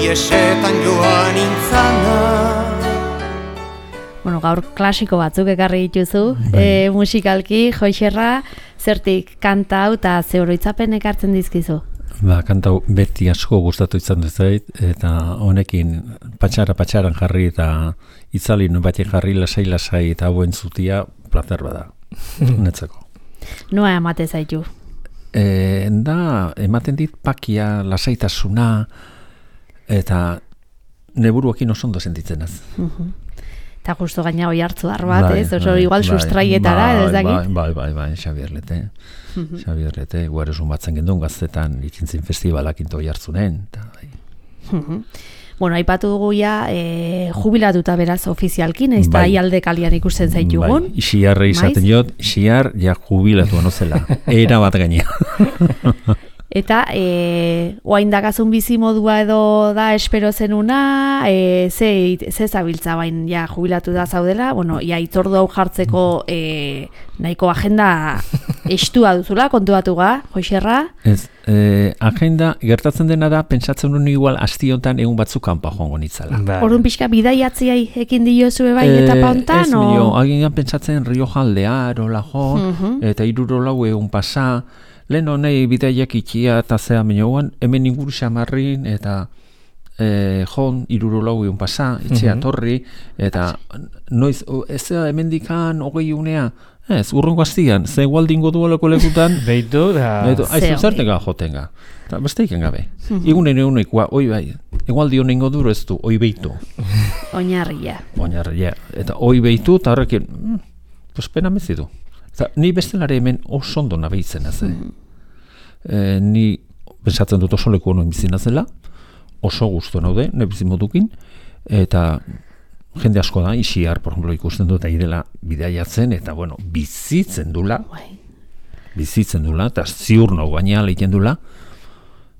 iesetan joan intzana. gaur klasiko batzuk ekarri dituzu, musikalki, Joixerra, zertik kanta hau eta ze oroitzapen ekartzen dizkizu? Kanta beti asko gustatu izan dut zait, eta honekin patxaran jarri eta itzali batek jarri lasai eta hauen zutia plazer bada, netzako. Noa emate zaitu? Ematen dit pakia, lasaitasuna, eta neburuakin oso ondo sentitzen az. Eta justo gaina hoi hartzu bat, ez? Oso igual sustraietara, ez dakit? Bai, Xabier Lete, guaresun batzen gendun gaztetan ikintzin festivalak into hoi hartzunen. Bueno, aipatu dugu ja, jubilatuta beraz ofizialkin, ez da aialde kalian ikusten zaitugun. Bai, Xiarra izaten jot, Xiar ja jubilatu anozela, era bat gaina. Eta, oain dakazun bizi modua edo da espero zenuna, ze zabiltza bain ja jubilatu da zaudela, bueno, ja itzordu hau jartzeko nahiko agenda estua duzula, kontuatuga, Joixerra? Ez, agenda, gertatzen dena da, pentsatzen nuen igual astiontan egun batzuk kanpa joango nitzala. Orduan pixka bidaiatziai ekin diozue bai etapa hontan? Ez, agian pentsatzen Rio Jaldea, Erola jo, eta 3 egun pasa, lehen honei bidaiak ikia eta zea minioan, hemen inguru xamarrin eta jon 3 egun pasa, itxea torri, eta noiz, ez da hemen dikan 20 unea, ez, urrengo astian, ze gualdingo duelako lekutan, Beitu, aizu zertega jotenga, eta beste iken gabe. Egunekoa, oi bai, egualdi honengo duro ez du, oi beitu. Oinarria. Eta oi beitu, eta horrekin, pues pena mezidu. Eta ni bestelare hemen oso ondo nabeitzen az. Ni pensatzen dut oso leku honen bizina zela, oso gustu naude, ne bizimodukin, eta jende asko da, Ixiar, por ejemplo, ikusten dut aidela bidaiatzen, eta bueno, bizitzen dula, eta ziur nago gaina lehiken dula,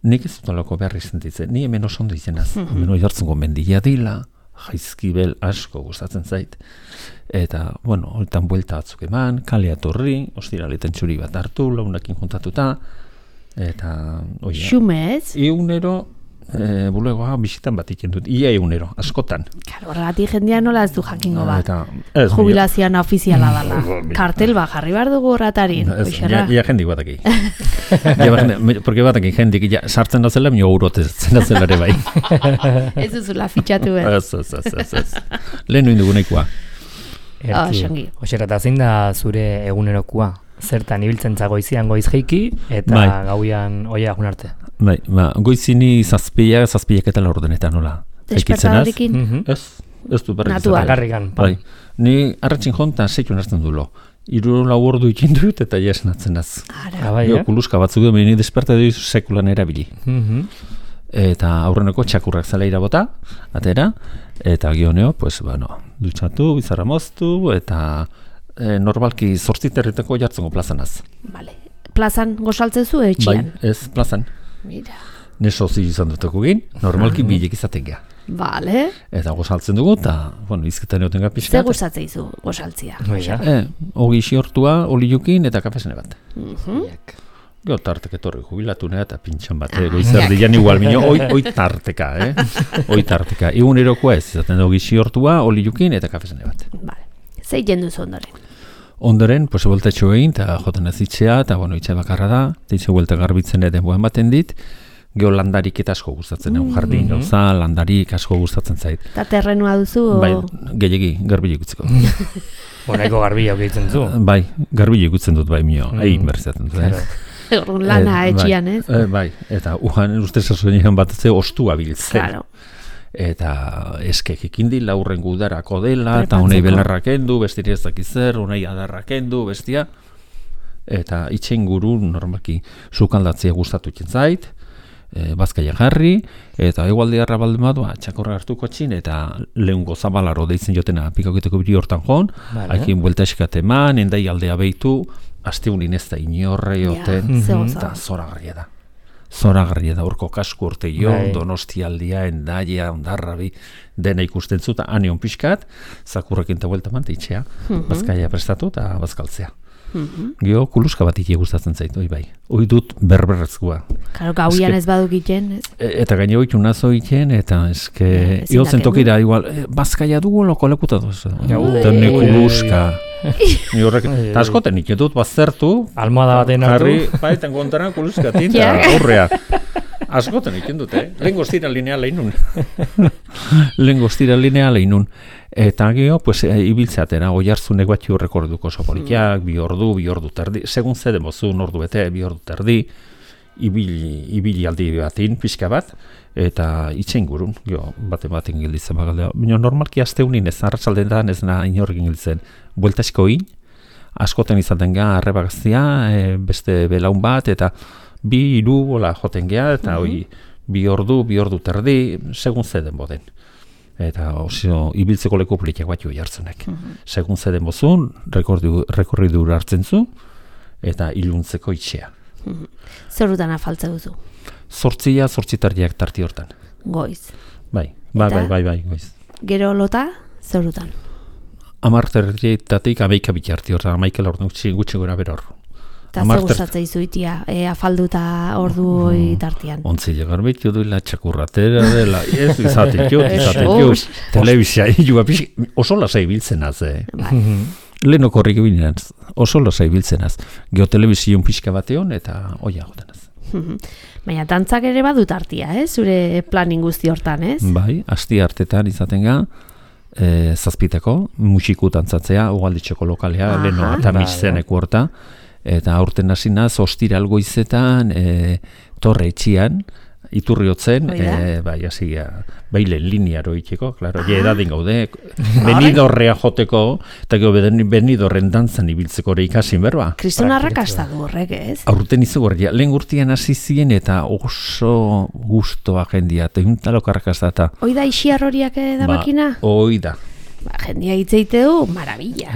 nik ez dut alako beharri sentitzen, ni hemen oso ondo izenaz, hemen hori hartzen mendia dila, jaizkibel asko gustatzen zait, eta, bueno, hortan buelta batzuk eman, kalea torri, ostiraletan txuri bat hartu, launakin juntatuta, eta, oia. Xume ez? Egunero, bulegoa bisitan bat iken dut, ia egunero, askotan. Horregatik jendia nola ez du jakingo bat. Jubilazioan ofiziala dala. Kartel bat jarri behar dugu horretarin. Ja jendik bataki. Porque bataki jendik, sartzen da zela, mio urotezen da zela ere bai. Ez duzula fitxatu ez. Ez. Lehen nuin dugunekoa. Oxera, eta zein da zure egunerokoa? Zertan ibiltzen goizian goiz jeiki, eta gauian oia agun arte. Bai, goizini zazpiak eta laurdenetan nola. Despertadorikin? Ez du berrik. Natural. Bai, ni arratxin jontan seikun hartzen dulo. 3-4 ordu ikin dut eta jesnatzen az. Kuluska batzuk duen, ni despertadori sekulan erabili. Eta aurreneko txakurrak zela irabota, atera, eta gioneo, pues, bueno, dutxatu, bizarra moztu, eta normalki 8 herriteko jartzengo plazanaz. Vale. Plazan gozaltzen zu etxian? Bai, ez, plazan. Mira. Neso zi izan duteko gin, normalki bilek izaten gea. Vale. Eta gozaltzen dugu, eta, bueno, izketan egoten gara pixka. Ze gustatzen izu gozaltzia? Ogi xortua, oliukin eta kafesene bat. Gero tarteke torri jubilatu nea eta pintxan bat, goizerdian igual minio, oi tarteka, oi tarteka. Egunerokoa ez, izaten ogi xortua, oliukin eta kafesene bat. Vale. Zei jenduz ondoren? Ondoren, pues, voltatxo egin, eta joten ez itxea, eta, bueno, itxe bakarra da, eta itxe buelta garbitzen ere denboen baten dit, geho landarik eta asko gustatzen, jardin gauza, landarik asko gustatzen zait. Eta terrenua duzu? Bai, gehiagi, garbile ikutzeko. Honaiko garbila okitzen zu? Bai, garbile ikutzen dut, bai, mio, egin berzatzen dut. Lana etxian, ez? Bai, eta uhan ustez asoenean bat ze ostua biltzen. Claro. Eta eskek ikindi laurren gudarako dela, eta honei belarrak endu, bestiri ez dakizer, honei adarrak endu, bestia. Eta itxein guru, normalki, sukaldatzea gustatu zait, bazkaia jarri, eta egualdiarra baldin badua, txakorra hartuko txin, eta lehungo zabalaro deitzen jotena pikaketeko biri hortan joan, hakin buelta eskat eman, endai aldea behitu, asteunin ez da inorre joten, eta zoragarria da. Zoragarria da, urko kasku urte jo, Donostialdia, Endaia, Ondarrabi, dena ikusten zuta, anion pixkat, zakurrekin eta buelta mante itxea, bazkaia prestatu eta bazkaltzea. Gio, kuluska bat ite gustatzen zait, bai. Hoi dut berberrezkoa. Karo, gauian ez baduk iten, ez? Eta gaine hoi nazo iten, eta eske, iotzen tokira, igual, bazkaia dugu loko lekuta duz. Eta ne kuluska. Ni horrek, eta askoten iten dut, bazertu, almohada baten hartu. Bai, tengo ontara kuluska tinta, aurrea. Askoten iten dut, lehen goztira lineala inun. Lehen goztira lineala inun. Eta gero, pues, ibiltzeatera, Oiartzunek bat rekorduko oso politiak, 2 ordu terdi, segun zede mozun ordu bete, 2 ordu terdi, ibili aldi batin, pixka bat, eta itxein gurun, baten gilditzen bagaldea. Baina normalki asteunin ez, arratsaldean ez na inorgin gilditzen, bueltasko in, askoten izaten ga, arrebagaztia, beste belaun bat, eta 2 hola joten gea, eta hoi 2 ordu terdi, segun zeden boden. Eta oso ibiltzeko leku politiak bat Oiartzunek. Segun zeden bozun, rekorridur hartzen zu, eta iluntzeko itxea. Zerutan afaltze duzu? 8 tarti hortan. Goiz. Bai, goiz. Gero lota, zerutan? 10:30 11 bitarti hortan, 11 ordu gutxi gora bera hor. Eta ze gustatzen izuitia, afalduta ordu tartian? Ontzile garbitu duela, txakurratera dela, ez izatik telebizia, oso lasai biltzenaz, lehen okorrik bilinaz, oso lasai biltzenaz, geotelebizion pixka bateon, eta oia gotenaz. Baina dantzak ere badu tartia, zure planin guzti hortan, ez? Bai, asti hartetan izaten ga, zazpiteko, musiku dantzatzea, ugalditxeko lokalea, leheno eta mixzeneko horta, eta aurten hasi naz, ostiral goizetan, torre etxian, iturriotzen, bai, hasi bailen linearo itxeko, klaro, edadin gaude, benidorrea joteko, eta gero benidorren dantzan ibiltzeko ere ikasin berba. Kriston arrakasta du horrek, ez? Aurten izu gorria, lehen urtean hasi ziren, eta oso gustoa jendia, eta juntalok arrakasta eta... Oida ixiar horiak da makina? Oida. Jendia hitzeite du, marabilla.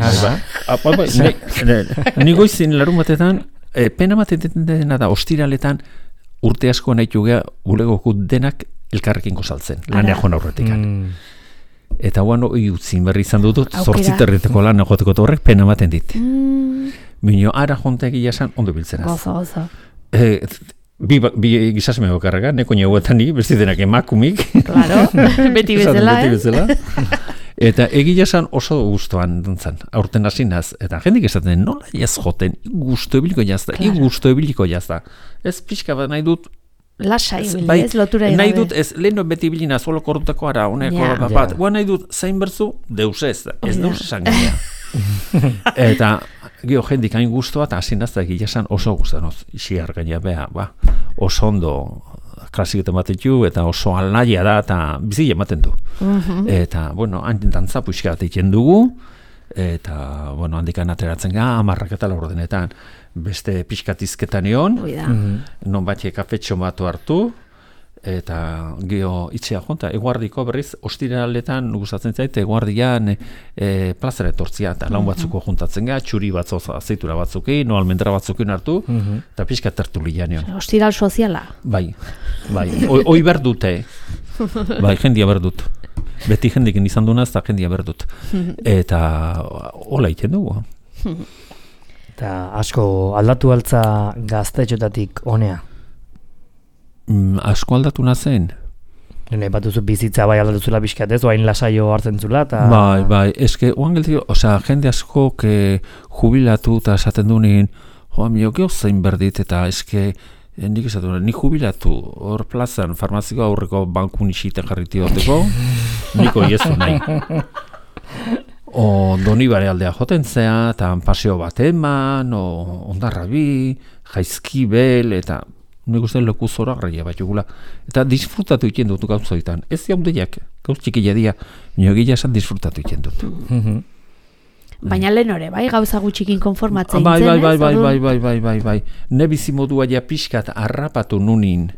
Ni goizin larun batetan, pena batetan dena da, ostiraletan urte asko nahitu gea bulegoko denak elkarrekin gozaltzen, lanea joan aurretikan. Eta guan hori utzin berri izan dut, 8:30 lan egoteko eta horrek pena baten dit. Bino, ara jonteak iasan ondo biltzenaz. Gozo. Bi gizasme bakarraga, neko neguetan ni, besti denak emakumik. Claro, beti bezala, Eta egia esan oso gustoan dantzan, aurten hasi naz, eta jendik esaten nola ez joten, gusto ebiliko jazta. Ez pixka bat nahi dut... Lasai, ez lotura nahi dut, ez leheno beti bilina, zuelo korrutako ara, honeko bat, nahi dut zain berzu, deus ez deus esan genia. Eta gio jendik hain gustoa, eta hasi naz, egia esan oso guztan, isiar gaina beha, oso ondo... klasik ematetu, eta oso alnaia da, eta bizile ematen du. Eta, bueno, hantin dantza puixka bat egiten dugu, eta, bueno, handikan ateratzen ga, 10:00 denetan, beste pixkatizketan egon, non batxe kafetxo batu hartu, eta geho itxea jonta, eguardiko berriz, ostiraletan gustatzen zait, eguardian plazara etortzia, eta laun batzuko juntatzen ga, txuri batzoz azeitura batzukin, no almendra batzukin hartu, eta pixka tertulian egon. Ostiral soziala? Bai, oi berdute, bai, jendia berdut. Beti jendikin izan dunaz, eta jendia berdut. Eta hola iten dugu. Eta asko aldatu altza gaztetxotatik honea? Asko aldatu nazen. Nahi batuzu bizitza bai aldatu zula pixkatez, oain lasaio hartzen zula, eta... Bai, eske, oan geltiko, jende asko jubilatu eta esaten dunin, mio, geho zein berdit, eta eske, nik esatu, ni jubilatu, hor plazan, farmaziko aurreko bankun isiten jarriti horteko, niko iezu nahi. Donibare aldea joten zea, eta paseo bat eman, ondarrabi, jaizkibel, eta... Nik uste leku zora garria bat jugula. Eta disfrutatu iten dut gauzoitan. Ez jaudeiak, gauz txikia dia, niogia esan disfrutatu iten dut. Baina lehen hori, bai, gauza gutxikin konformatzen zen, Bai. Ne bizimodua ja pixkat harrapatu nunin,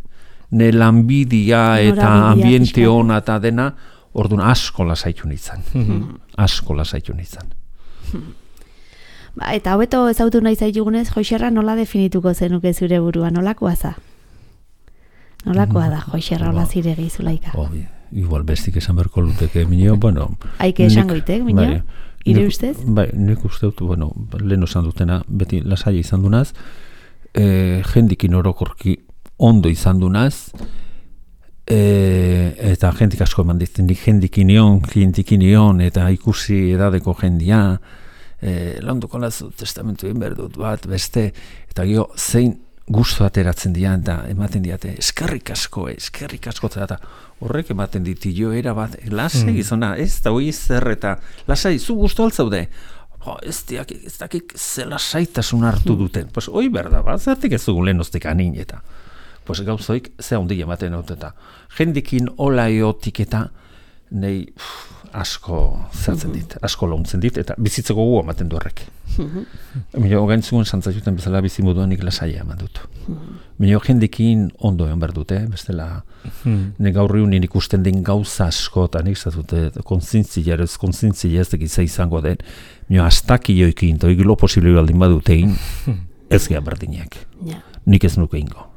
ne lanbidia eta ambiente hona eta dena, orduan asko lasaitu nintzen. Eta hobeto ezautu nahi zaitugunez, Joixerra nola definituko zenuke zure burua, nolakoa za? Nolakoa da, Joixerra hola ziregi zulaika? Igual bestik esan berko luteke, minio, bueno... Haike esango itek, minio? Ire ustez? Bai, nik uste dut, bueno, lehen esan dutena, beti lasaia izan dunaz, jendikin orokorki ondo izan dunaz, eta jendik asko eman dit, nik jendikin ion, eta ikusi edadeko jendia, launduko lazu testamentu egin behar dut bat, beste, eta gero zein gustu ateratzen dian, eta ematen diate, eskerrik asko, eta horrek ematen diti jo era bat, lasai gizona, ez da hoi zer, eta lasai, zu gustu altzaude, ez dakik ze lasaitasun hartu duten, pues hoi berda bat, zertik ez dugu lehenostik anin, eta pues gauzoik ze handia ematen dut, eta jendikin olaiotik eta nei asko zertzen dit, asko launtzen dit, eta bizitzeko gu ematen du horrek. Mino gaintzugun santzaiuten bezala bizimoduanik lasaia eman dut. Mino jendikin ondo eman behar dute, bestela nik gaur egunin ikusten den gauza asko, eta nik zatute kontzintzia ez dekitza izango den, mino astakioekin, eta egilo posible baldin badutein, ez gehan berdinak. Nik ez nuke ingo.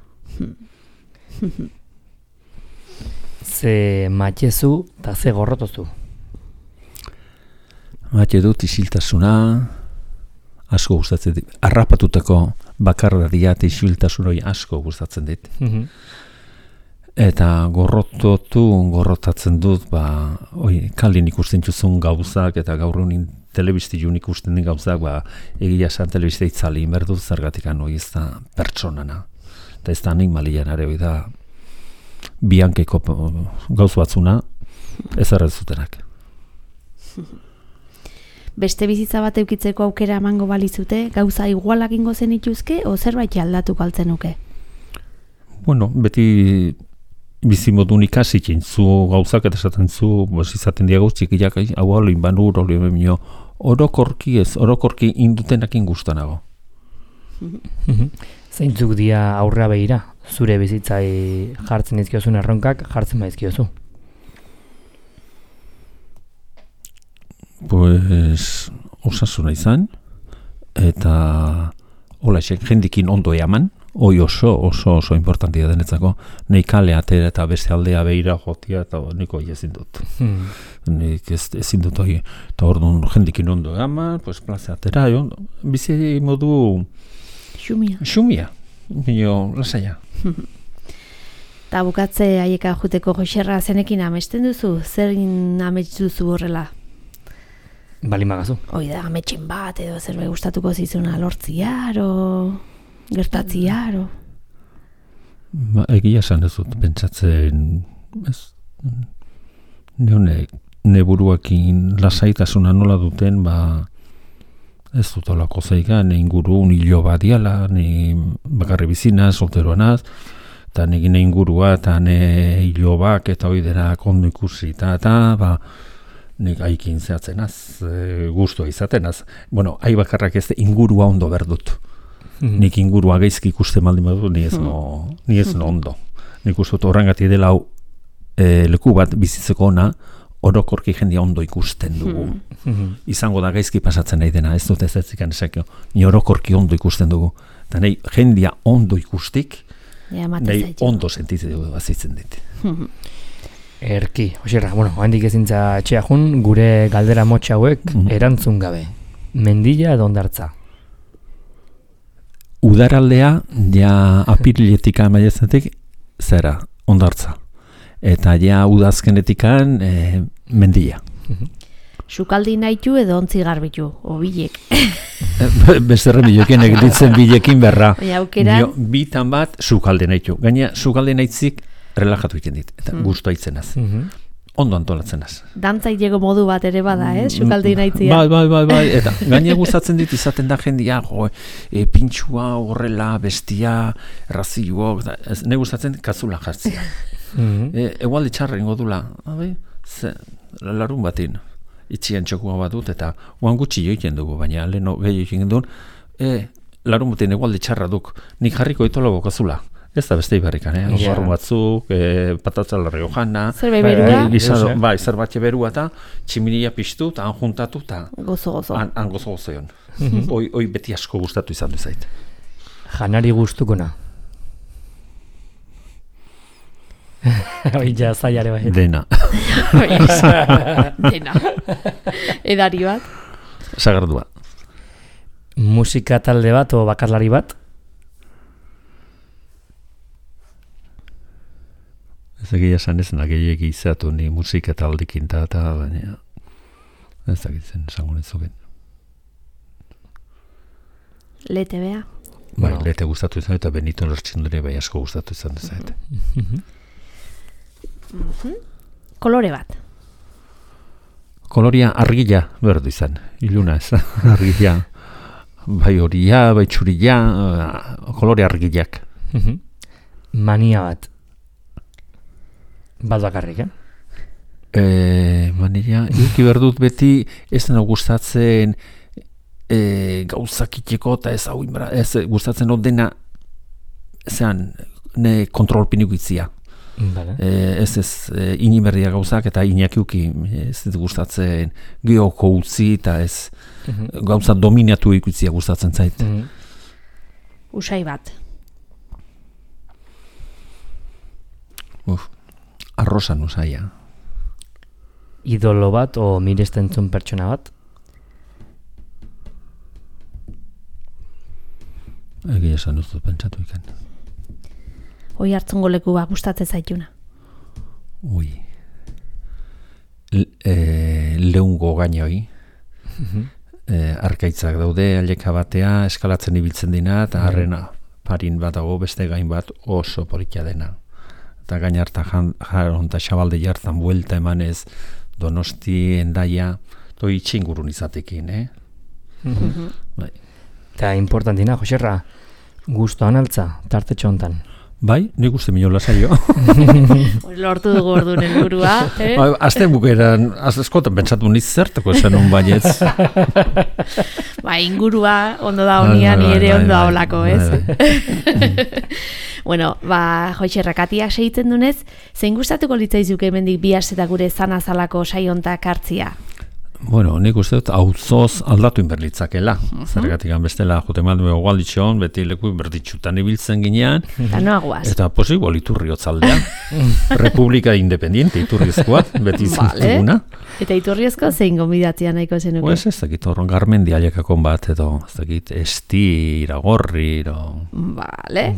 Ze matxezu eta ze gorrotozu? Mate dut isiltasuna, asko gustatzen dit. Arrapatutako bakardadia eta isiltasunoi asko gustatzen dit. Eta gorrotatzen dut, kalin ikusten txuzun gauzak, eta gaur egunin telebiztiun ikusten den gauzak, egia esan telebizte itzali inberdut zergatik hoi ez da pertsonana. Eta ez da animalian are hoi da biankeko gauz batzuna ez errezutenak. Beste bizitza bat eukitzeko aukera emango balizute, gauza igualak ingo zen ituzke, o zerbait aldatuko altzenuke? Bueno, beti bizimodun ikasikin zu gauzak eta esaten zu, izaten diago txikiak, hau olin banur, olin benio, orokorki indutenakin gustanago. Zeintzuk dia aurra behira, zure bizitzai jartzen izkiozun erronkak, jartzen baizkiozu? Pues, osasuna izan, eta holaxek jendikin ondo eaman, hoi oso importantia denetzako, nahi kale atera eta beste aldea behira jotia, eta niko ezin dut. Nik ezin dut hori, eta orduan jendikin ondo eaman, pues plaza atera, bizi modu xumia, nio lasaia. Eta bukatze haieka juteko Joxerra zenekin amesten duzu, zer amets duzu horrela? Balimagazu. Hoi da, ametxen bat edo zerbait gustatuko zizuna lortziar o gertatziar o... Egia esan ez dut, pentsatzen neburuakin lasaitasuna nola duten, ez dut olako zeiga, ne inguru nilo badiala, ni bakarri bizina, solteroanaz, eta negine ingurua, eta ne hilobak, eta oidera kondo ikusi, eta nik haikin zehatzenaz, guztua izatenaz. Bueno, hai bakarrak ez ingurua ondo berdut. Nik ingurua gaizki ikusten baldin badut, ni ez no ondo. Nik uste dut horrengati dela leku bat bizitzeko ona, orokorki jendia ondo ikusten dugu. Izango da gaizki pasatzen nahi dena, ez dut ez zikan esakio. Ni orokorki ondo ikusten dugu. Eta nahi jendia ondo ikustik, nahi ondo sentitzen dugu bazitzen dit. Erki, Joxerra, handik ezintza etxea jun, gure galdera motxa hauek erantzun gabe. Mendilla edo Hondartza? Udaraldea, ja apiriletik amaiezetik, zera, Hondartza. Eta ja udazkenetikan Mendilla. Sukaldi nahitu edo ontzi garbitu, o bilek. Bezerre bilekin egiten bilekin berra. Bitan bat sukaldi nahitu. Gaina sukaldi nahitzik relajatu egiten dit, eta guztua itzenaz. Ondo antolatzenaz. Dantzailego modu bat ere bada, sukaldi nahitzia. Bai, eta gaina gustatzen dit izaten da jendia, pintxua, horrela, bestia, razioak, ne gustatzen katzula jartzia. Egualdi txarra ingo dula, larun batin, itxian txokua bat dut, eta guan gutxi joiten dugu, baina leheno gehi joiten duen, larun batin egualdi txarra duk, nik jarriko itolago kazula. Ez da beste ibarrikan, barru batzuk, patatza larri hojana, zerbait berua, zerbatxe berua eta tximinia piztu eta han juntatu eta han gozo-gozo egon. Hoi beti asko gustatu izan du zait. Janari gustukona? Hoi jazaiare bai. Dena. Dena. Edari bat? Sagardua. Musika talde bat o bakarlari bat? Ez egia esan ez nagehiek izatu ni musika taldekin eta baina ez dakitzen esango nizuken. Lete bea. Bai, Bueno. lete gustatu izan eta Benito Lertxindure bai asko gustatu izan dezait. Kolore bat. Koloria argila berdu izan, iluna ez, argila. Bai horia, bai txurila, kolore argilak. Mania bat. Bat bakarrik, Mania, eduki berdut beti ez dena gustatzen gauzakiteko eta ez hau ez gustatzen hau dena zean ne kontrolpinik itzia. Vale. Ez inimerdia gauzak eta inakiuki ez dut gustatzen geoko utzi eta ez gauza dominatu ikutzia gustatzen zait. Usai bat. Arrosan usaia. Idolo bat o miresten zuen pertsona bat? Egia esan ez dut pentsatu ikan. Hoi hartzungo leku bat gustatzen zaituna. Ui. Leungo gainoi. Arkaitzak daude, aleka batea, eskalatzen ibiltzen dina, eta harrena parin bat dago, beste gain bat oso polikia dena. Eta gain harta jaron eta xabalde jartan buelta emanez, Donosti, Endaia, toi itxingurun izatekin, Bai. Eta importantina, Joserra, gustoan altza, tartetxo hontan. Bai, nik uste minola saio. Lortu dugu orduan helburua, Azte bukeran, askotan pentsatu niz zertako esan un baietz. Ba, ingurua ondo da honia, ni ere ondo haolako, ez? Bueno, ba, Joserra, katiak segitzen dunez, zein gustatuko litzaizuke hemendik bi aste eta gure zanazalako saiontak hartzia? Bueno, nik uste dut auzoz aldatu inberlitzakela. Zergatik bestela jote maldu egualditxon, beti leku berditxutan ibiltzen ginean. Eta noaguaz. Eta posibo Iturri hotzaldea. Republika Independiente Iturrizkoa, beti zintuguna. Eta Iturriozko zein gonbidatzea nahiko zenuke? Pues ez dakit horron Garmendi aiekakon bat, edo ez dakit Esti, Iragorri, Vale.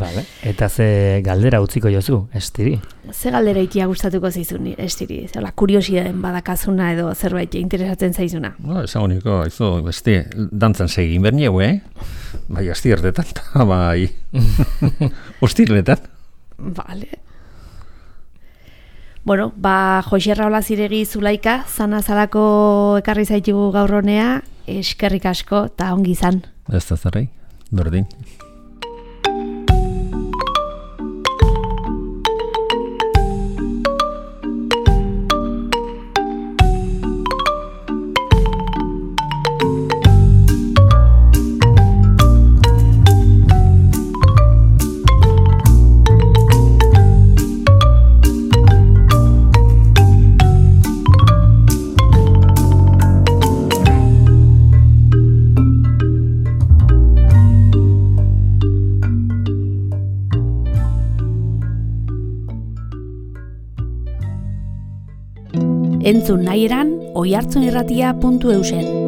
Eta ze galdera utziko jozu, estiri? Ze galdera ikia gustatuko zaizun, estiri? Zela, kuriosidaden badakazuna edo zerbait interesatzen zaizuna? Esan honiko, beste, dantzan segin bernieu, Bai, astiertetan, eta bai, ostirletan. Vale. Bueno, ba, Joserra Olaziregi Zulaika, zanazalako ekarri zaitugu gaur honea, eskerrik asko, eta ongi izan. Ez da zarrai, berdin. Entzun nahi eran, oihartzunirratia.eusen.